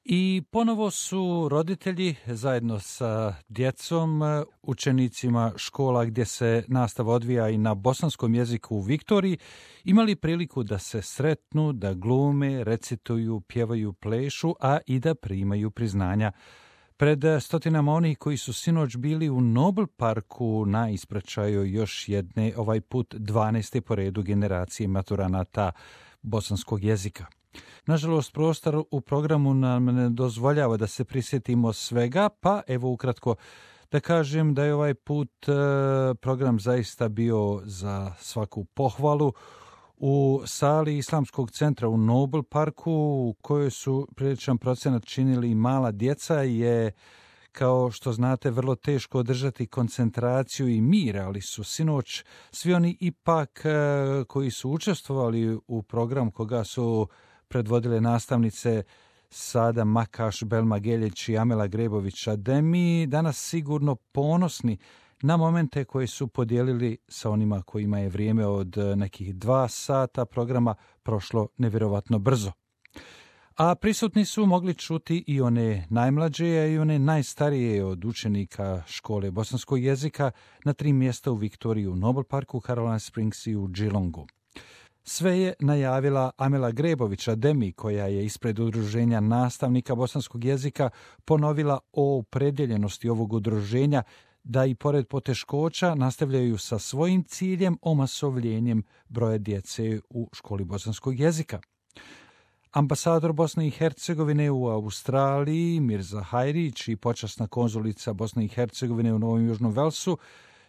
I ponovo su roditelji zajedno sa djecom, učenicima škola gdje se nastava odvija i na bosanskom jeziku u Viktoriji, imali priliku da se sretnu, da glume, recituju, pjevaju, plešu, a i da primaju priznanja. Pred stotinama onih koji su sinoć bili u Nobel parku na ispraćaju još jedne, ovaj put 12. po redu generacije maturanata bosanskog jezika. Nažalost, prostor u programu nam ne dozvoljava da se prisjetimo svega, pa evo ukratko da kažem da je ovaj put program zaista bio za svaku pohvalu. U sali Islamskog centra u Nobel parku, u kojoj su priličan procenat činili mala djeca, je, kao što znate, vrlo teško održati koncentraciju i mir, ali su sinoć svi oni ipak koji su učestvovali u program koga su predvodile nastavnice Sada Makaš, Belma Geljić i Amela Grebović-Ademi, danas sigurno ponosni na momente koje su podijelili sa onima kojima je vrijeme od nekih 2 sata programa prošlo nevjerovatno brzo. A prisutni su mogli čuti i one najmlađe i one najstarije od učenika škole bosanskog jezika na 3 mjesta u Viktoriji, u Nobel parku, Caroline Springs i u Geelongu. Sve je najavila Amela Grebović-Ademi, koja je ispred udruženja nastavnika bosanskog jezika ponovila o opredjeljenosti ovog udruženja da i pored poteškoća nastavljaju sa svojim ciljem omasovljenjem broja djece u školi bosanskog jezika. Ambasador Bosne i Hercegovine u Australiji Mirza Hajrić i počasna konzulica Bosne i Hercegovine u Novom Južnom Velsu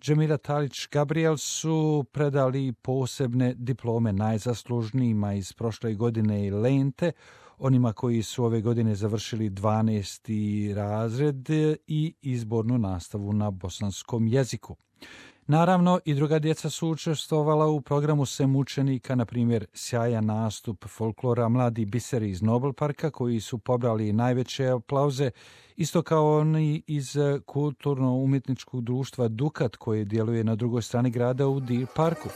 Džemila Talić-Gabriel su predali posebne diplome najzaslužnijima iz prošle godine i lente, onima koji su ove godine završili 12. razred i izbornu nastavu na bosanskom jeziku. Naravno, i druga djeca su učestvovala u programu SEM učenika, na primjer sjajan nastup folklora Mladi biseri iz Nobel parka, koji su pobrali najveće aplauze, isto kao oni iz kulturno-umjetničkog društva Dukat, koje djeluje na drugoj strani grada u Deer parku.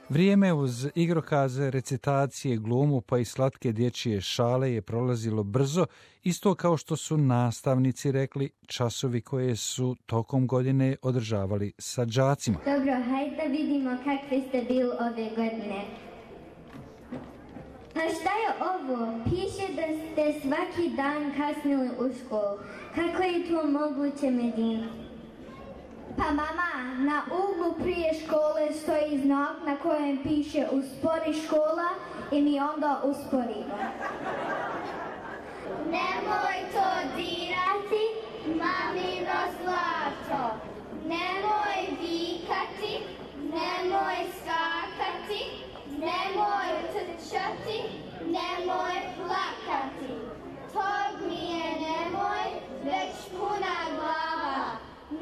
Vrijeme uz igrokaze, recitacije, glumu pa i slatke dječje šale je prolazilo brzo, isto kao što su nastavnici rekli, časovi koje su tokom godine održavali sa đacima. Dobro, hajde da vidimo kakvi ste bili ove godine. Pa šta je ovo? Piše da ste svaki dan kasnili u školu. Kako je to moguće, Medina? Pa mama, na uglu prije škole stoji znak na kojem piše uspori škola i mi onda usporimo. Nemoj to dirati, mamino zlato. Nemoj vikati, nemoj skakati, nemoj trčati, nemoj plakati. Tog mi je nemoj, već puna glava.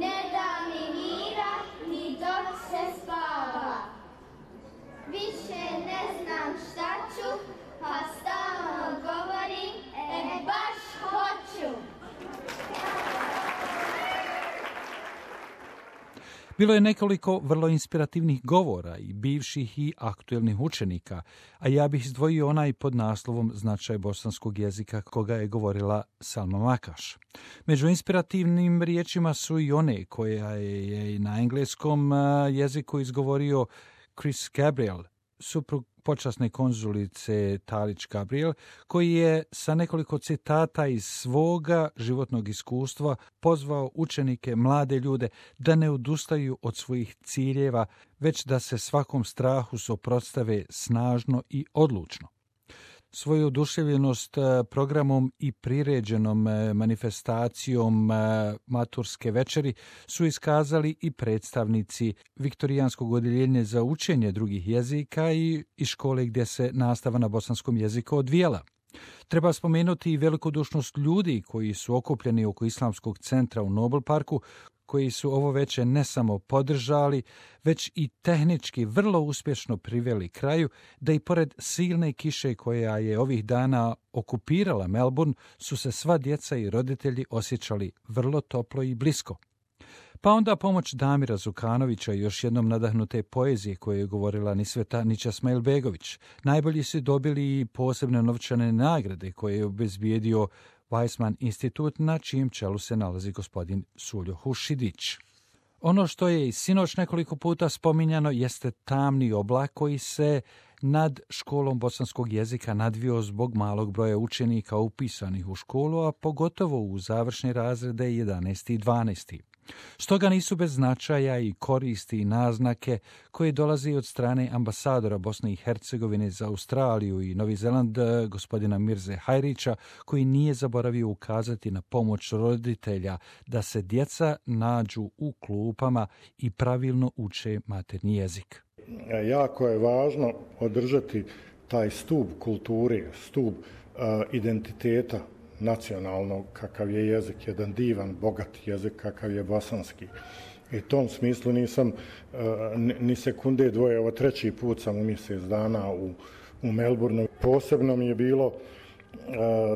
Ne da mi mira, ni dok se spava. Više ne znam šta ću, pa stalno govorim, baš hoću. Bilo je nekoliko vrlo inspirativnih govora i bivših i aktuelnih učenika, a ja bih izdvojio onaj pod naslovom Značaj bosanskog jezika koga je govorila Salma Makaš. Među inspirativnim riječima su i one koja je na engleskom jeziku izgovorio Chris Gabriel, suprug počasne konzulice Talić-Gabriel, koji je sa nekoliko citata iz svoga životnog iskustva pozvao učenike, mlade ljude, da ne odustaju od svojih ciljeva, već da se svakom strahu suprotstave snažno i odlučno. Svoju oduševljenost programom i priređenom manifestacijom maturske večeri su iskazali i predstavnici Viktorijanskog odjeljenja za učenje drugih jezika i škole gdje se nastava na bosanskom jeziku odvijala. Treba spomenuti i velikodušnost ljudi koji su okupljeni oko Islamskog centra u Nobel parku, koji su ovo veče ne samo podržali, već i tehnički vrlo uspješno priveli kraju, da i pored silne kiše koja je ovih dana okupirala Melbourne, su se sva djeca i roditelji osjećali vrlo toplo i blisko. Pa onda pomoć Damira Zukanovića i još jednom nadahnute poezije koje je govorila Nisveta Ničasmailbegović. Najbolji su dobili i posebne novčane nagrade koje je obezbijedio Weizmann institut, na čijem čelu se nalazi gospodin Suljo Hušidić. Ono što je i sinoć nekoliko puta spominjano jeste tamni oblak koji se nad školom bosanskog jezika nadvio zbog malog broja učenika upisanih u školu, a pogotovo u završne razrede 11. i 12. Stoga nisu bez značaja i koristi i naznake koje dolazi od strane ambasadora Bosne i Hercegovine za Australiju i Novi Zeland, gospodina Mirze Hajrića, koji nije zaboravio ukazati na pomoć roditelja da se djeca nađu u klupama i pravilno uče maternji jezik. Jako je važno održati taj stup kulture, stup identiteta nacionalnog, kakav je jezik, jedan divan, bogat jezik kakav je bosanski. I u tom smislu nisam ni sekunde dvoje, ovo 3. put sam u mjesec dana u Melbourneu. Posebno mi je bilo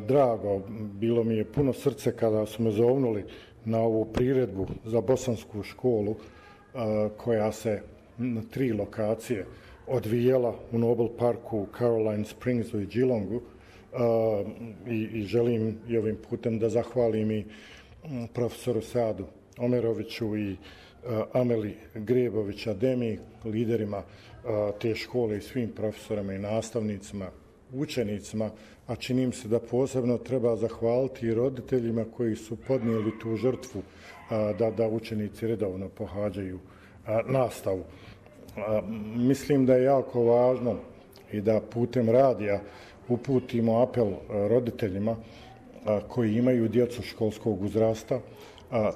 drago, bilo mi je puno srce kada su me zovnuli na ovu priredbu za bosansku školu koja se na 3 lokacije odvijela u Noble Parku, Caroline Springsu i Geelongu. I želim i ovim putem da zahvalim i profesoru Sadu Omeroviću i Ameli Grebović-Ademi, liderima te škole i svim profesorima i nastavnicima, učenicima, a čini mi se da posebno treba zahvaliti i roditeljima koji su podnijeli tu žrtvu da učenici redovno pohađaju nastavu. Mislim da je jako važno i da putem radija uputimo apel roditeljima koji imaju djecu školskog uzrasta.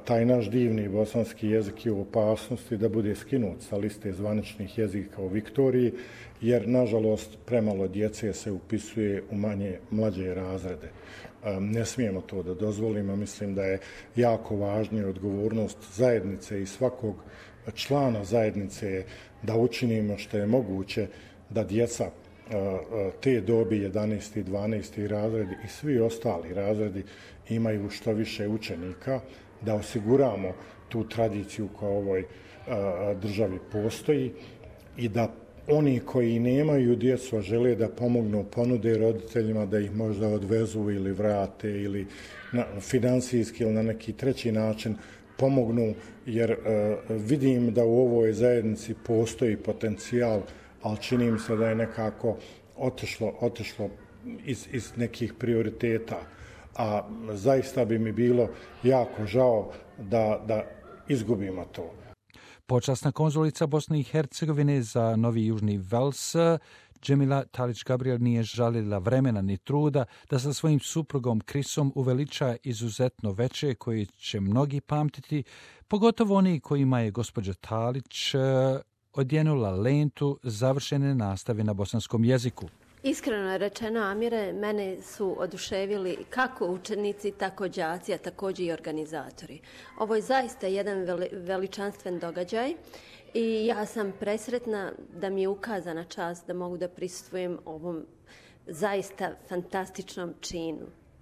Taj naš divni bosanski jezik je u opasnosti da bude skinut sa liste zvaničnih jezika u Viktoriji, jer nažalost premalo djece se upisuje u mlađe razrede. Ne smijemo to da dozvolimo, mislim da je jako važna odgovornost zajednice i svakog člana zajednice da učinimo što je moguće da djeca te dobi 11. i 12. razredi i svi ostali razredi imaju što više učenika, da osiguramo tu tradiciju koja u ovoj državi postoji i da oni koji nemaju djecu, a žele da pomognu, ponude roditeljima da ih možda odvezu ili vrate ili financijski ili na neki treći način pomognu, jer vidim da u ovoj zajednici postoji potencijal, ali čini mi se da je nekako otišlo iz nekih prioriteta. A zaista bi mi bilo jako žao da izgubimo to. Počasna konzulica Bosne i Hercegovine za Novi Južni Vels, Džemila Talić-Gabriel, nije žalila vremena ni truda da sa svojim suprugom Krisom uveliča izuzetno veče koje će mnogi pamtiti, pogotovo oni kojima je gospođa Talić odjenula lentu završene nastave na bosanskom jeziku. Iskreno rečeno, Amire, mene su oduševili kako učenici, tako đaci, a također i organizatori. Ovo je zaista jedan veličanstven događaj i ja sam presretna da mi je ukazana čast da mogu da prisustvujem ovom zaista fantastičnom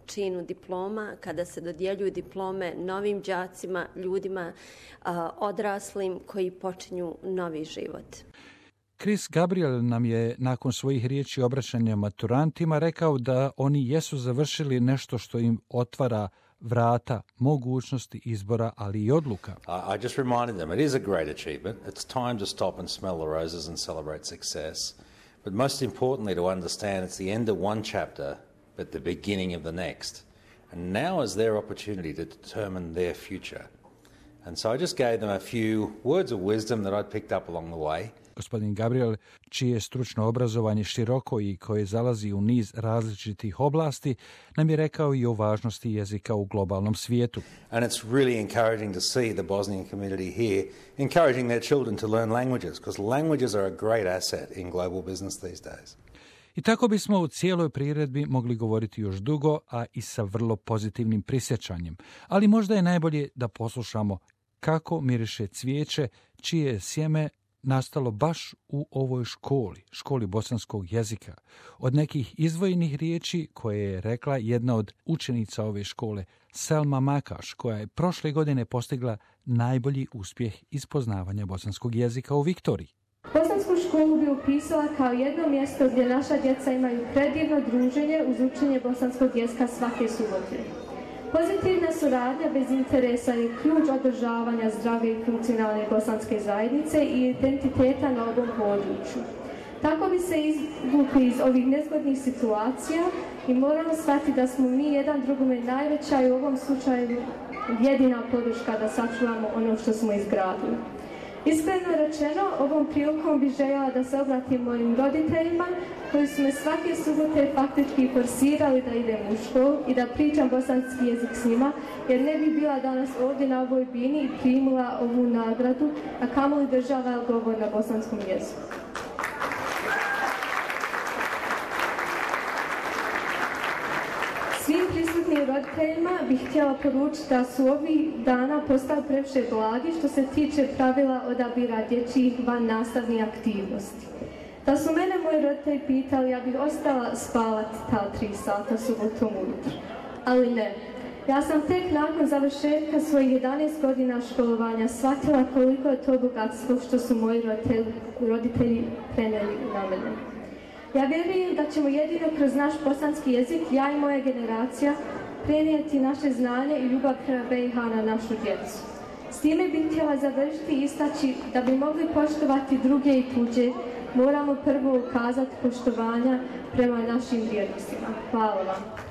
činu diploma, kada se dodjeljuju diplome novim đacima, ljudima odraslim koji počinju novi život. Chris Gabriel nam je nakon svojih riječi obraćanja maturantima rekao da oni jesu završili nešto što im otvara vrata mogućnosti izbora, ali i odluka. I just reminded them it is a great achievement. It's time to stop and smell the roses and celebrate success. But most importantly to understand it's the end of one chapter but the beginning of the next. And now is their opportunity to determine their future. And so I just gave them a few words of wisdom that I'd picked up along the way. Gospodin Gabriel, čije stručno obrazovanje široko i koje zalazi u niz različitih oblasti, nam je rekao i o važnosti jezika u globalnom svijetu. And it's really encouraging to see the Bosnian community here encouraging their children to learn languages, because languages are a great asset in global business these days. I tako bismo u cijeloj priredbi mogli govoriti još dugo, a i sa vrlo pozitivnim prisjećanjem. Ali možda je najbolje da poslušamo kako miriše cvijeće, čije sjeme nastalo baš u ovoj školi bosanskog jezika, od nekih izdvojenih riječi koje je rekla jedna od učenica ove škole, Selma Makaš, koja je prošle godine postigla najbolji uspjeh iz poznavanja bosanskog jezika u Viktoriji. Bosansku školu bi upisala kao jedno mjesto gdje naša djeca imaju predivno druženje uz učenje bosanskog jezika svake subote. Pozitivna suradnja bez interesa je ključ održavanja zdrave i funkcionalne bosanske zajednice i identiteta na ovom području. Tako bi se izvukli iz ovih nezgodnih situacija i moramo shvatiti da smo mi jedan drugome najveća i u ovom slučaju jedina podrška da sačuvamo ono što smo izgradili. Iskreno rečeno, ovom prilikom bih željela da se obratim mojim roditeljima koji su me svake subote faktički forsirali da idem u školu i da pričam bosanski jezik s njima, jer ne bi bila danas ovdje na ovoj bini i primila ovu nagradu, a kamoli držala govor na bosanskom jeziku. Svim prisutnim roditeljima bih htjela poručiti da su ovih dana postali previše blagi što se tiče pravila odabira dječjih van nastavnih aktivnosti. Da su mene moji roditelji pitali, ja bih ostala spavati ta 3 sata subotom ujutro. Ali ne. Ja sam tek nakon završetka svojih 11 godina školovanja shvatila koliko je to bogatstvo što su moji roditelji prenijeli na mene. Ja vjerujem da ćemo jedino kroz naš bosanski jezik, ja i moja generacija, prenijeti naše znanje i ljubav prema BiH na našu djecu. S time bih htjela završiti i istaći da bi mogli poštovati druge i tuđe, moramo prvo ukazati poštovanja prema našim vrijednostima. Hvala vam.